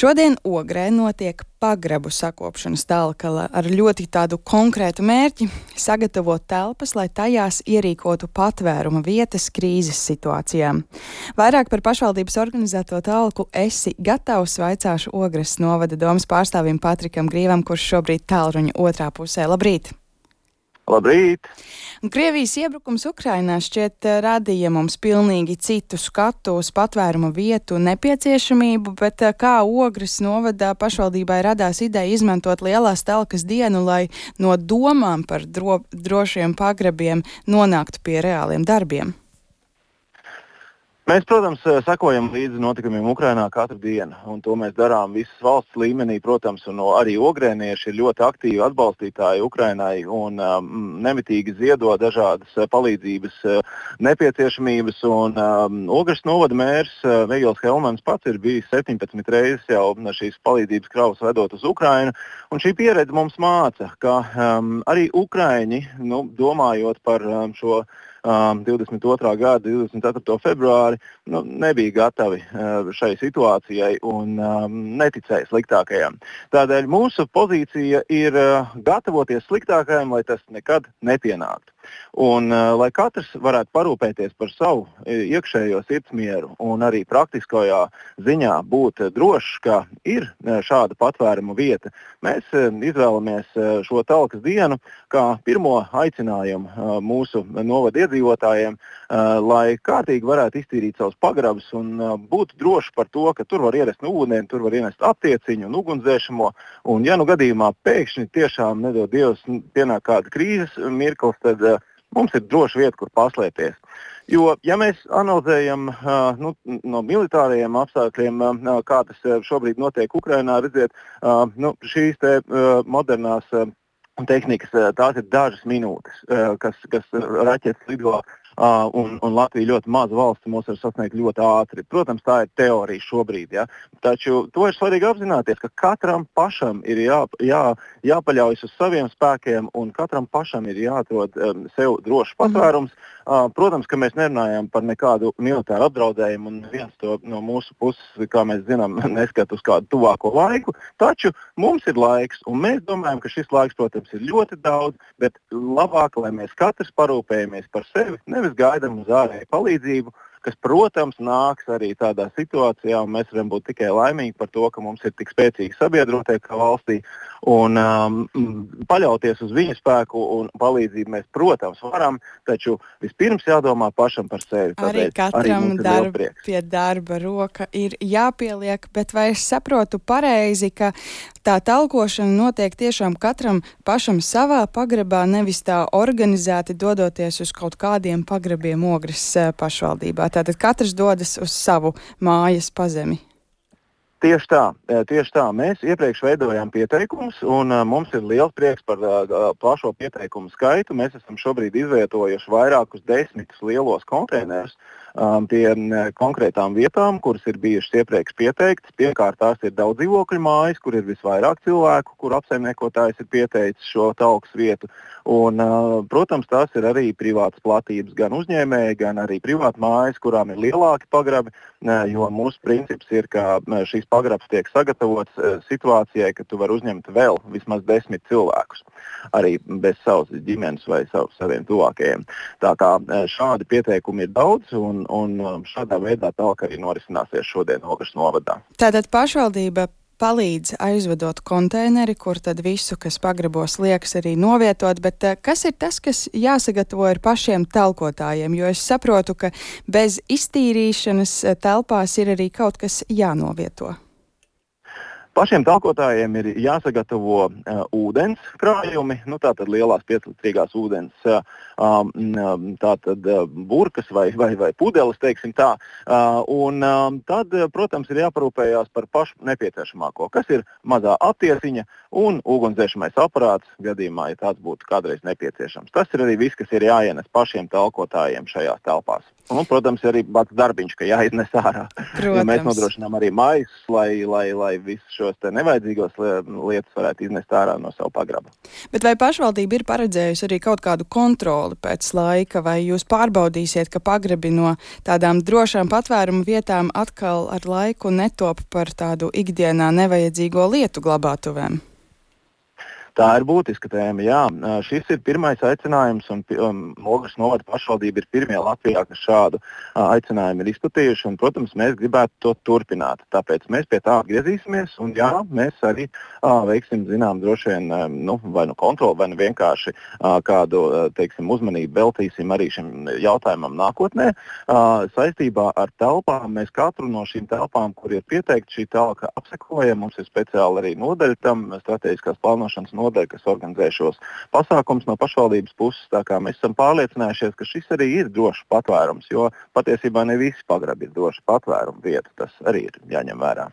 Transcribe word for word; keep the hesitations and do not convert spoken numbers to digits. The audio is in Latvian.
Šodien Ogrē notiek pagrabu sakopšanas talka ar ļoti tādu konkrētu mērķi - sagatavot telpas, lai tajās ierīkotu patvēruma vietas krīzes situācijām. Vairāk par pašvaldības organizēto talku esi gatavs, vaicāšu Ogres novada domas pārstāvim Patrikam Grīvam, kurš šobrīd tālruņa otrā pusē. Labrīt! Labrīt! Krievijas iebrukums Ukrainā šķiet radīja mums pilnīgi citu skatu uz patvēruma vietu nepieciešamību, bet kā Ogres novadā pašvaldībai radās ideja izmantot lielās talkas dienu, lai no domām par dro, drošiem pagrabiem nonāktu pie reāliem darbiem? Mēs, protams, sekojam līdzi notikumiem Ukrainā katru dienu, un to mēs darām visas valsts līmenī, protams, un arī ogrēnieši ir ļoti aktīvi atbalstītāji Ukrainai un um, nemitīgi ziedo dažādas palīdzības uh, nepieciešamības, un um, Ogres novada mērs uh, Vigils Helmans pats ir bijis septiņpadsmit reizes jau šīs palīdzības kravas vedot uz Ukrainu, un šī pieredze mums māca, ka um, arī Ukraiņi, nu, domājot par um, šo Um, divdesmit otrā gada divdesmit ceturto februāri nu, nebija gatavi uh, šai situācijai un um, neticēja sliktākajam. Tādēļ mūsu pozīcija ir uh, gatavoties sliktākajam, lai tas nekad nepienāktu. Un, uh, lai katrs varētu parūpēties par savu iekšējo sirdsmieru un arī praktiskajā ziņā būt drošs, ka ir šāda patvēruma vieta, mēs uh, izvēlamies uh, šo talkas dienu kā pirmo aicinājumu uh, mūsu novada iedzīvotājiem, uh, lai kārtīgi varētu iztīrīt savus pagrabus un uh, būt droši par to, ka tur var ienest ūdeni, tur var ienest aptieciņu un ugunsdzēšamo. Un ja nu gadījumā pēkšņi tiešām nedod Dievs pienāk kāda krīzes mirklis, tad uh, mums ir droša vieta, kur paslēpties. Jo, ja mēs analizējam uh, nu, no militārajiem apstākļiem, uh, kā tas uh, šobrīd notiek Ukrainā, redziet, uh, nu, šīs te uh, modernās uh, tehnikas, tās ir dažas minūtes, kas, kas raķetes lido, un, un Latvija ļoti maza valsts mūs var sasniegt ļoti ātri. Protams, tā ir teorija šobrīd, ja? Taču to ir svarīgi apzināties, ka katram pašam ir jā, jā, jāpaļaujas uz saviem spēkiem, un katram pašam ir jāatrod um, sev drošs patvērums. Mm-hmm. Uh, protams, ka mēs nerunājam par nekādu militāru apdraudējumu, un viens to no mūsu puses, kā mēs zinām, neskat uz kādu tuvāko laiku, taču mums ir laiks, un mēs domājam, ka šis laiks, protams, ir ļoti daudz, bet labāk, lai mēs katrs parūpējamies par sevi, nevis gaidām uz ārēju palīdzību, kas, protams, nāks arī tādā situācijā, un mēs varam būt tikai laimīgi par to, ka mums ir tik spēcīgi sabiedrotie kā valstī, un um, paļauties uz viņu spēku un palīdzību mēs, protams, varam, taču vispirms jādomā pašam par sevi. Arī katram arī darb, pie darba roka ir jāpieliek, bet vai es saprotu pareizi, ka tā talkošana notiek tiešām katram pašam savā pagrabā, nevis tā organizēti dodoties uz kaut kādiem pagrabiem Ogres pašvaldībā? Tātad katrs dodas uz savu mājas pazemi. Tieši tā, tieši tā. Mēs iepriekš veidojām pieteikumus, un uh, mums ir liels prieks par uh, plašo pieteikumu skaitu. Mēs esam šobrīd izvietojuši vairākus desmitus lielos konteinerus um, pie uh, konkrētām vietām, kuras ir bijušas iepriekš pieteiktas. Pirmkārt, tās ir daudz dzīvokļu mājas, kur ir visvairāk cilvēku, kur apsaimniekotājs ir pieteicis šo talkas vietu. Un, uh, protams, tās ir arī privātas platības, gan uzņēmēji, gan arī privāti mājas, kurām ir lielāki pagrabi, uh, jo mūsu princips ir, ka uh, šīs pagrabs tiek sagatavots uh, situācijai, ka tu vari uzņemt vēl vismaz desmit cilvēkus, arī bez savas ģimenes vai sav, saviem tuvākajiem. Tā kā uh, šādi pieteikumi ir daudz, un, un šādā veidā talka arī norisināsies šodien Ogres novadā. Tātad pašvaldība palīdz aizvedot konteineri, kur tad visu, kas pagrabos liekas, arī novietot, bet kas ir tas, kas jāsagatavo ar pašiem talkotājiem? Jo es saprotu, ka bez iztīrīšanas telpās ir arī kaut kas jānovieto. Pašiem talkotājiem ir jāsagatavo uh, ūdens krājumi, nu tātad lielās pieclitrīgās ūdens uh, um, tātad uh, burkas vai, vai, vai pudeles, teiksim tā. Uh, un um, tad, protams, ir jāparūpējās par pašu nepieciešamāko, kas ir mazā aptieciņa un ugunsdzēšamais aparāts, gadījumā, ja tāds būtu kādreiz nepieciešams. Tas ir arī viss, kas ir jāienes pašiem talkotājiem šajās telpās. Un, protams, arī pats darbiņš, ka jāiznes ārā. Ja mēs nodrošinām arī maisus, lai, lai, lai visus šos te nevajadzīgos lietas varētu iznest ārā no savu pagraba. Bet vai pašvaldība ir paredzējusi arī kaut kādu kontroli pēc laika, vai jūs pārbaudīsiet, ka pagrabi no tādām drošām patvērumu vietām atkal ar laiku netop par tādu ikdienā nevajadzīgo lietu glabātuvēm? Tā ir būtiska tēma, jā. Šis ir pirmais aicinājums, un um, Ogres novada pašvaldība ir pirmie Latvijā, kas šādu uh, aicinājumu ir izplatījuši, un, protams, mēs gribētu to turpināt. Tāpēc mēs pie tā atgriezīsimies, un jā, mēs arī uh, veiksim, zinām, droši vien, um, nu, vai nu kontroli, vai nu vienkārši uh, kādu, uh, teiksim, uzmanību veltīsim arī šim jautājumam nākotnē. Uh, saistībā ar telpām mēs katru no šīm telpām, kur ir pieteikta šī telka, apsekojam. Mums ir speciāli arī nodaļa tam, strateģiskās plānošanas nodaļa, kas organizē šos pasākums no pašvaldības puses. Tā kā mēs esam pārliecinājušies, ka šis arī ir drošs patvērums, jo patiesībā ne visi pagrabi ir droši patvērumu vieta. Tas arī ir jāņem vērā.